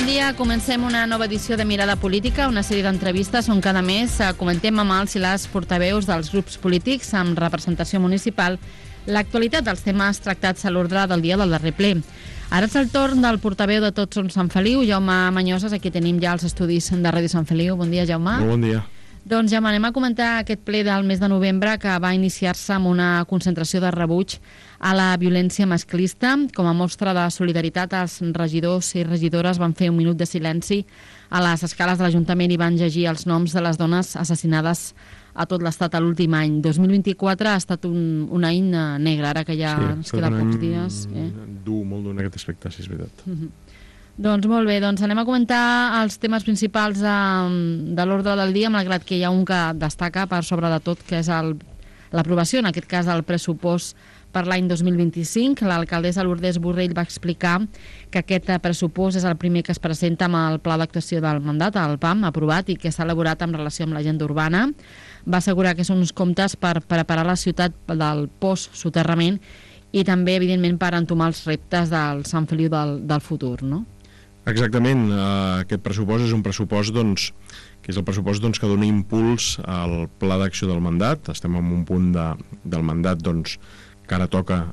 dia. Comencem una nova edició de Mirada Política, una sèrie d'entrevistes on cada mes comentem amb els i les portaveus dels grups polítics amb representació municipal l'actualitat dels temes tractats a l'ordre del dia del darrer ple. Ara és el torn del portaveu de Tots Som Sant Feliu, Jaume Mañoses. Aquí tenim ja els estudis de Ràdio Sant Feliu. Bon dia, Jaume. Bon dia. Doncs ja anem a comentar aquest ple del mes de novembre que va iniciar-se amb una concentració de rebuig a la violència masclista. Com a mostra de solidaritat, els regidors i regidores van fer un minut de silenci a les escales de l'Ajuntament i van llegir els noms de les dones assassinades a tot l'Estat a l'últim any. 2024 ha estat un any negre, ara que ja ens queda pocs dies. Dur, molt dur en aquest aspecte, sí, és veritat. Doncs molt bé, doncs anem a comentar els temes principals de l'ordre del dia, malgrat que hi ha un que destaca per sobre de tot, que és l'aprovació, en aquest cas, del pressupost per l'any 2025. L'alcaldessa Lourdes Borrell va explicar que aquest pressupost és el primer que es presenta amb el Pla d'Actuació del Mandat, el PAM, aprovat i que s'ha elaborat en relació amb l'agenda urbana. Va assegurar que són uns comptes per preparar la ciutat del postsoterrament i també, evidentment, per entomar els reptes del Sant Feliu del futur, no? Exactament. Aquest pressupost és un pressupost que és el pressupost que dona impuls al Pla d'Acció del Mandat. Estem en un punt del mandat que ara toca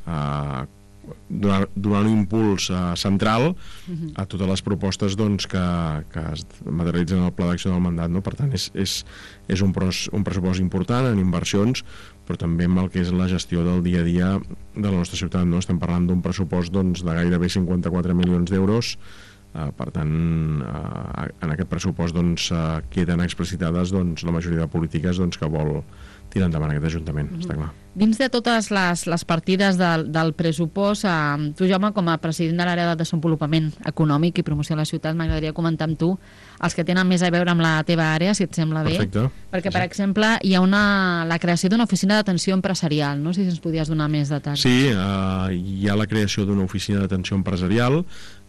donar un impuls central a totes les propostes que es materialitzen en el Pla d'Acció del Mandat, no? Per tant, és un pressupost important en inversions, però també amb el que és la gestió del dia a dia de la nostra ciutat, no? Estem parlant d'un pressupost de gairebé 54 milions d'euros. Per tant, en aquest pressupost queden explicitades la majoria de polítiques que vol tirar endavant aquest Ajuntament, està clar. Dins de totes les partides del pressupost, tu, Jaume, com a president de l'àrea de desenvolupament econòmic i promoció a la ciutat, m'agradaria comentar amb tu els que tenen més a veure amb la teva àrea, si et sembla bé. Perfecte. Perquè, per exemple, hi ha la creació d'una oficina d'atenció empresarial, no sé si ens podies donar més detalls. Sí, hi ha la creació d'una oficina d'atenció empresarial,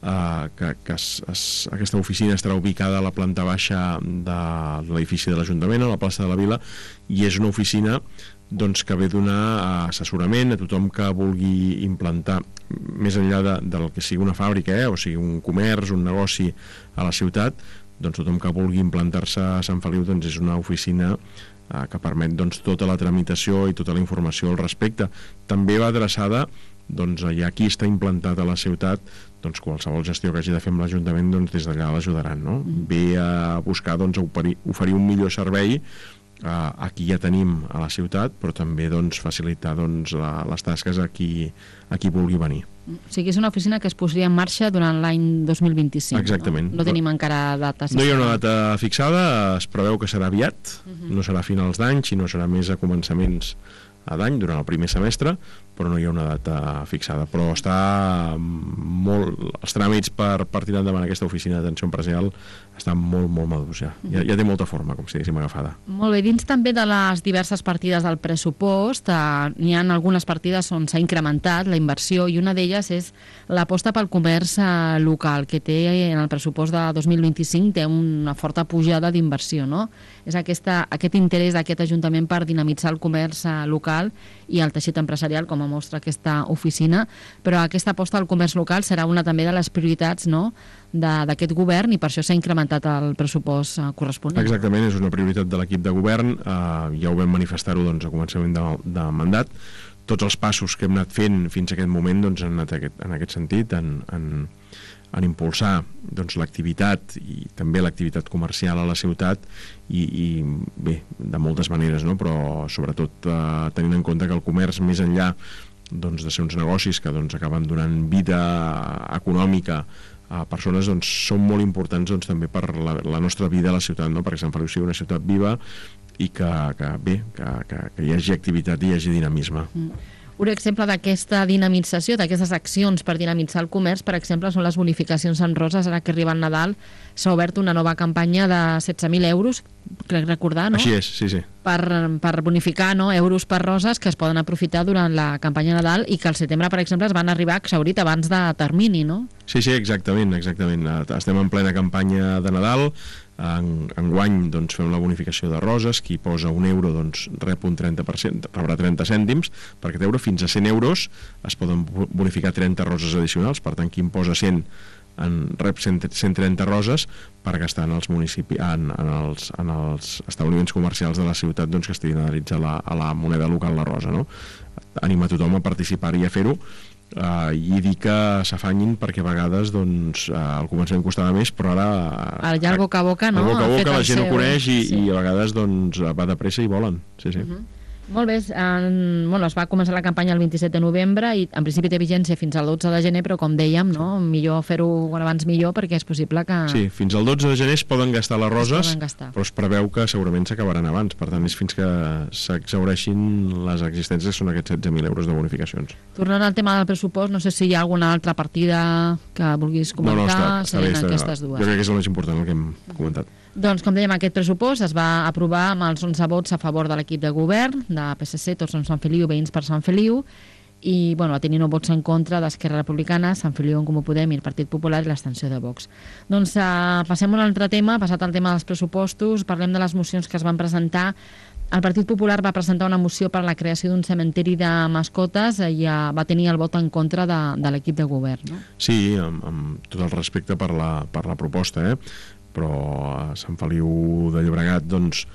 aquesta oficina estarà ubicada a la planta baixa de l'edifici de l'Ajuntament, a la plaça de la Vila, i és una oficina que ve donar assessorament a tothom que vulgui implantar, més enllà del que sigui una fàbrica, o sigui un comerç, un negoci a la ciutat, tothom que vulgui implantar-se a Sant Feliu és una oficina que permet tota la tramitació i tota la informació al respecte. També va adreçada ja qui està implantat a la ciutat, qualsevol gestió que hagi de fer amb l'Ajuntament, des d'allà l'ajudaran, no? Ve a buscar oferir un millor servei a qui ja tenim a la ciutat, però també facilitar les tasques a qui vulgui venir. O sigui, és una oficina que es posaria en marxa durant l'any 2025. Exactament. No tenim encara data. No hi ha una data fixada, es preveu que serà aviat, no serà a finals d'any, sinó serà més a començaments d'any, durant el primer semestre, però no hi ha una data fixada. Però està els tràmits per tirar endavant aquesta oficina d'atenció empresarial estan molt, molt madurs ja. Ja té molta forma, com si diguéssim, agafada. Molt bé, dins també de les diverses partides del pressupost, n'hi ha algunes partides on s'ha incrementat la inversió, i una d'elles és l'aposta pel comerç local, que té en el pressupost de 2025 té una forta pujada d'inversió, no? És aquest interès d'aquest Ajuntament per dinamitzar el comerç local i el teixit empresarial, com a mostra aquesta oficina, però aquesta aposta al comerç local serà una també de les prioritats, no?, d'aquest govern, i per això s'ha incrementat el pressupost corresponent. Exactament, és una prioritat de l'equip de govern, ja ho vam manifestar-ho a començament de mandat. Tots els passos que hem anat fent fins a aquest moment han anat en aquest sentit, en impulsar l'activitat i també l'activitat comercial a la ciutat, i bé, de moltes maneres, no? Però sobretot tenint en compte que el comerç, més enllà de ser uns negocis que acaben donant vida econòmica a persones, són molt importants també per la nostra vida a la ciutat, no? Perquè Sant Feliu sigui una ciutat viva i que hi hagi activitat i hi hagi dinamisme. Un exemple d'aquesta dinamització, d'aquestes accions per dinamitzar el comerç, per exemple, són les bonificacions en roses. Ara que arriba el Nadal, s'ha obert una nova campanya de 16.000 euros, crec recordar, no? Així és, sí. Per bonificar, no?, euros per roses que es poden aprofitar durant la campanya Nadal i que al setembre, per exemple, es van arribar a exhaurit abans de termini, no? Sí, exactament. Estem en plena campanya de Nadal. Enguany fem la bonificació de roses. Qui posa €1 rep un 30%, rebrà 30 cèntims per aquest euro. Fins a 100 euros es poden bonificar 30 roses addicionals. Per tant, qui en posa 100 rep 130 roses per gastar en els municipis, en els establiments comercials de la ciutat, doncs, que estiguin adherits a la moneda local, la rosa, no? Anima tothom a participar-hi i a fer-ho, i dir que s'afanyin, perquè a vegades doncs, al començament costava més, però ara ja el boca a boca, no? El boca a boca la gent ho coneix i a vegades doncs, va de pressa i volen. Sí. Molt bé, es va començar la campanya el 27 de novembre i en principi té vigència fins al 12 de gener, però com dèiem, no? Millor fer-ho quan abans millor, perquè és possible que... Sí, fins al 12 de gener es poden gastar les roses, però es preveu que segurament s'acabaran abans, per tant és fins que s'exhaureixin les existències, són aquests 16.000 euros de bonificacions. Tornant al tema del pressupost, no sé si hi ha alguna altra partida que vulguis comentar. Està bé, aquestes dues. Jo crec que és el més important, el que hem comentat. Doncs, com dèiem, aquest pressupost es va aprovar amb els 11 vots a favor de l'equip de govern, de PSC, Tots som Sant Feliu, Veïns per Sant Feliu, i va tenir 9 vots en contra d'Esquerra Republicana, Sant Feliu en Comú Podem i el Partit Popular i l'abstenció de Vox. Doncs passem a un altre tema, passat el tema dels pressupostos, parlem de les mocions que es van presentar. El Partit Popular va presentar una moció per a la creació d'un cementiri de mascotes i va tenir el vot en contra de l'equip de govern, no? Sí, amb tot el respecte per la proposta, però a Sant Feliu de Llobregat doncs,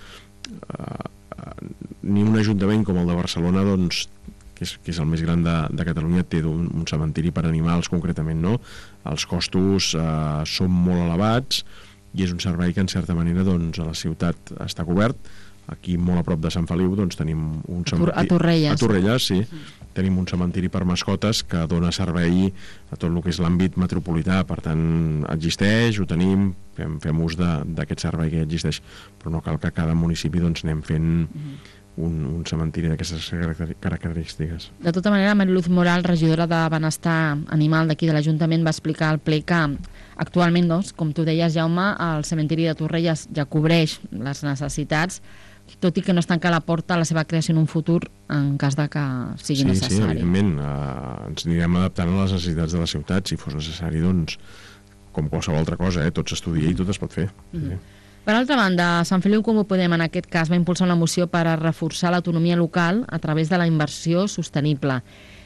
ni un ajuntament com el de Barcelona, doncs, que és el més gran de Catalunya, té un cementiri per animals concretament, no? Els costos són molt elevats i és un servei que en certa manera doncs, a la ciutat està cobert. Aquí molt a prop de Sant Feliu doncs, tenim un cementiri... A Torrelles, sí. Tenim un cementiri per mascotes que dona servei a tot el que és l'àmbit metropolità, per tant existeix, ho tenim, fem ús d'aquest servei que ja existeix, però no cal que a cada municipi doncs, anem fent un cementiri d'aquestes característiques. De tota manera, Mariluz Moral, regidora de Benestar Animal d'aquí de l'Ajuntament, va explicar al ple que actualment, doncs, com tu deies, Jaume, el cementiri de Torrelles ja cobreix les necessitats, tot i que no es tanca la porta a la seva creació en un futur en cas de que sigui necessari. Sí, evidentment. Ens anirem adaptant a les necessitats de la ciutat. Si fos necessari, doncs, com qualsevol altra cosa, tot s'estudia i tot es pot fer. Sí. Per altra banda, Sant Feliu Comú Podem en aquest cas va impulsar una moció per a reforçar l'autonomia local a través de la inversió sostenible.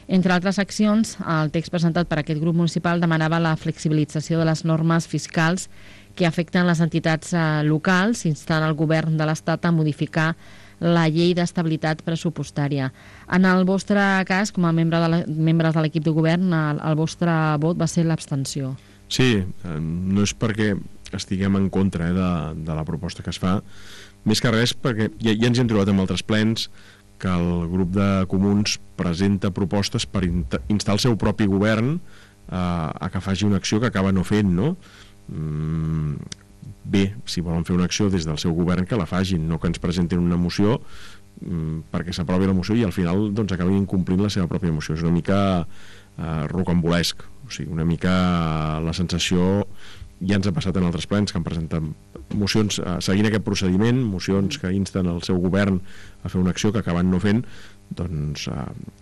Entre altres accions, el text presentat per aquest grup municipal demanava la flexibilització de les normes fiscals que afecten les entitats locals, instant el govern de l'Estat a modificar la llei d'estabilitat pressupostària. En el vostre cas, com a membres de l'equip de govern, el vostre vot va ser l'abstenció. Sí, no és perquè estiguem en contra de la proposta que es fa, més que res perquè ja ens hem trobat amb altres plens que el grup de comuns presenta propostes per instar el seu propi govern a que faci una acció que acaba no fent, no? Bé, si volen fer una acció des del seu govern, que la facin, no que ens presentin una moció perquè s'aprovi la moció i al final doncs, acabin incomplint la seva pròpia moció. És una mica rocambolesc, o sigui, una mica la sensació, ja ens ha passat en altres plens que han presentat mocions seguint aquest procediment, mocions que insten el seu govern a fer una acció que acaben no fent, doncs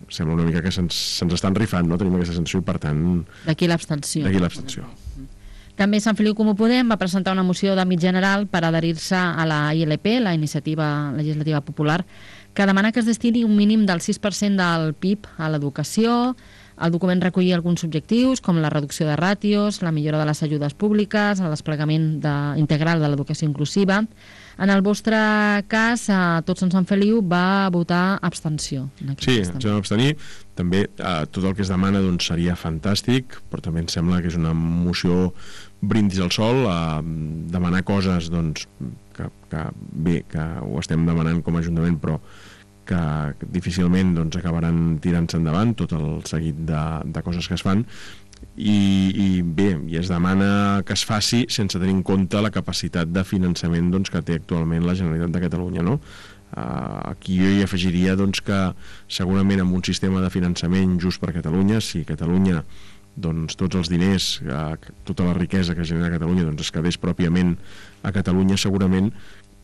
sembla una mica que se'ns estan rifant, no? Tenim aquesta sensació i per tant... D'aquí l'abstenció. També Sant Feliu Comú Podem va presentar una moció d'àmbit general per adherir-se a la ILP, la Iniciativa Legislativa Popular, que demana que es destini un mínim del 6% del PIB a l'educació. El document recollia alguns objectius, com la reducció de ràtios, la millora de les ajudes públiques, el desplegament integral de l'educació inclusiva. En el vostre cas, Tots som Sant Feliu va votar abstenció. Sí, ens vam abstenir. També tot el que es demana doncs, seria fantàstic, però també em sembla que és una moció brindis al sol, demanar coses doncs, que ho estem demanant com a Ajuntament, però que difícilment doncs, acabaran tirant-se endavant tot el seguit de coses que es fan. I es demana que es faci sense tenir en compte la capacitat de finançament doncs, que té actualment la Generalitat de Catalunya, no? Aquí jo hi afegiria doncs, que segurament amb un sistema de finançament just per Catalunya, si Catalunya doncs, tots els diners, tota la riquesa que genera Catalunya doncs, es quedés pròpiament a Catalunya, segurament,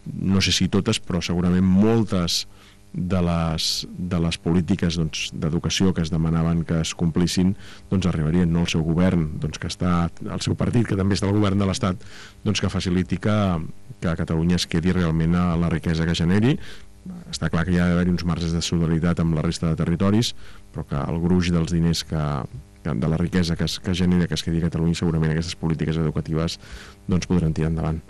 no sé si totes, però segurament moltes de les polítiques doncs, d'educació que es demanaven que es complissin doncs arribarien, no el seu govern doncs, que està, el seu partit que també està al govern de l'Estat, doncs que faciliti que Catalunya es quedi realment a la riquesa que generi. Està clar que hi ha d'haver uns marges de solidaritat amb la resta de territoris, però que el gruix dels diners que la riquesa que es genera, que es quedi a Catalunya, segurament aquestes polítiques educatives doncs, podran tirar endavant.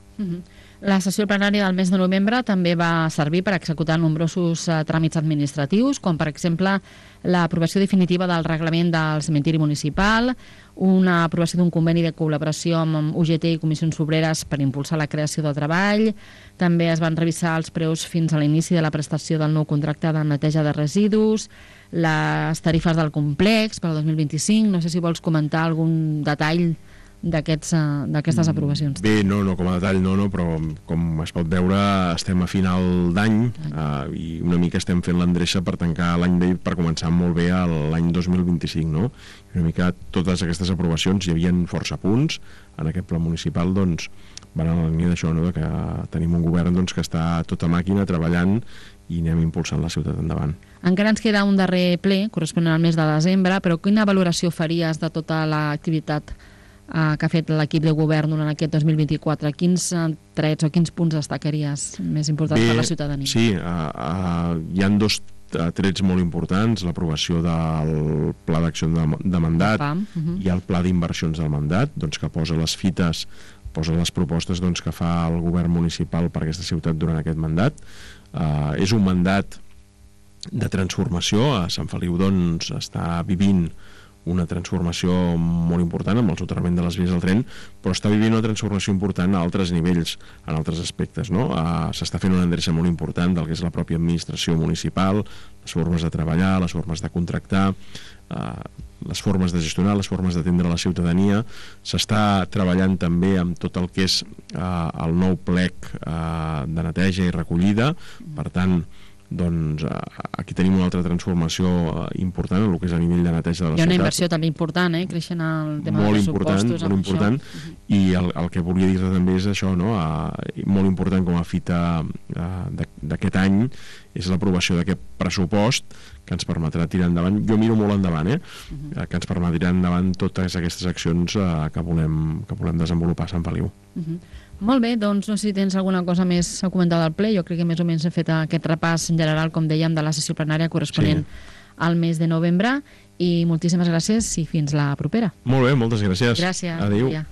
La sessió plenària del mes de novembre també va servir per executar nombrosos tràmits administratius, com per exemple l'aprovació definitiva del reglament del cementiri municipal, una aprovació d'un conveni de col·laboració amb UGT i Comissions Obreres per impulsar la creació de treball. També es van revisar els preus fins a l'inici de la prestació del nou contracte de neteja de residus, les tarifes del complex per al 2025. No sé si vols comentar algun detall d'aquestes aprovacions. Bé, no, com a detall no, però com es pot veure estem a final d'any i una mica estem fent l'endreça per tancar l'any per començar molt bé l'any 2025, no? I una mica totes aquestes aprovacions, hi havia força punts en aquest pla municipal, doncs van en la línia d'això, no? Que tenim un govern doncs, que està tota màquina treballant i anem impulsant la ciutat endavant. Encara ens queda un darrer ple corresponent al mes de desembre, però quina valoració faries de tota l'activitat que ha fet l'equip de govern durant aquest 2024? Quins trets o quins punts destacaries més importants per la ciutadania? Sí, hi ha dos trets molt importants, l'aprovació del Pla d'Acció de Mandat i el Pla d'Inversions del Mandat, doncs, que posa les fites, posa les propostes doncs, que fa el govern municipal per aquesta ciutat durant aquest mandat. És un mandat de transformació. A Sant Feliu doncs, està vivint una transformació molt important amb el soterrament de les vies del tren, però està vivint una transformació important a altres nivells, en altres aspectes, no? S'està fent una endreça molt important del que és la pròpia administració municipal, les formes de treballar, les formes de contractar, les formes de gestionar, les formes d'atendre la ciutadania. S'està treballant també amb tot el que és el nou plec de neteja i recollida. Per tant, doncs aquí tenim una altra transformació important en el que és a nivell de neteja de la ciutat. Hi ha una inversió també important, creixent el tema dels pressupostos. Molt important, i el que volia dir també és això, no? Molt important com a fita d'aquest any és l'aprovació d'aquest pressupost que ens permetrà tirar endavant, jo miro molt endavant, que ens permetrà endavant totes aquestes accions que volem desenvolupar a Sant Feliu. Molt bé, doncs no sé si tens alguna cosa més a comentar del ple. Jo crec que més o menys he fet aquest repàs en general, com dèiem, de la sessió plenària corresponent al mes de novembre, i moltíssimes gràcies i fins la propera. Molt bé, moltes gràcies. Gràcies. Adéu. Ja.